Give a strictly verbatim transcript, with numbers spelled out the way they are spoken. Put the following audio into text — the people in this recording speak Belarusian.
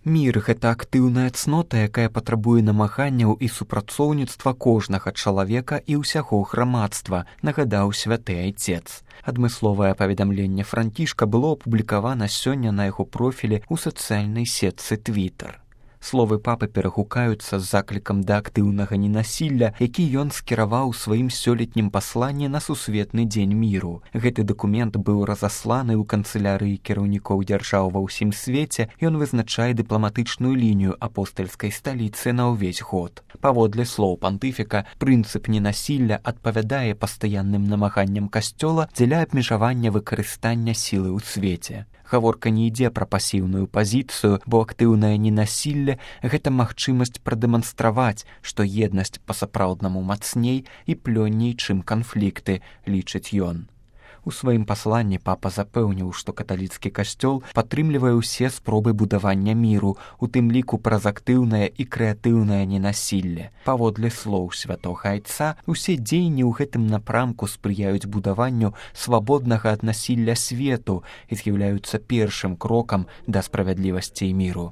Мір — гэта актыўная цнота, якая патрабуе намаганняў і супрацоўніцтва кожнага чалавека і ўсяго грамадства, нагадаў святы айцец. Адмысловае паведамленне Францішка было апублікавана сёння на яго профілі ў сацыяльнай сетцы Твітер. Словы папы перагукаюцца з заклікам да актыўнага ненасілля, які ён скіраваў у сваім сёлетнім пасланні на сусветны дзень міру. Гэты дакумент быў разасланы ў канцылярыі кіраўнікоў дзяржаў ва ўсім свеце, ён вызначае дыпламатычную лінію апостальскай сталіцы на ўвесь год. Паводле слоў пантыфіка, прынцып ненасілля адпавядае пастаянным намаганням касцёла дзеля абмежавання выкарыстання сілы ў свеце. Гаворка не ідзе пра пасіўную пазіцыю, бо актыўнае ненасілле — гэта магчымасць прадэманстраваць, што еднасць па-сапраўднаму мацней і плённей, чым канфлікты, лічыць ён. У сваім пасланні папа запэўніў, што каталіцкі касцёл падтрымлівае ўсе спробы будавання міру, у тым ліку праз актыўнае і крэатыўнае ненасілле. Паводле слоў святога айца, усе дзеянні ў гэтым напрамку спрыяюць будаванню свабоднага ад насілля свету і з'яўляюцца першым крокам да справядлівасці і міру.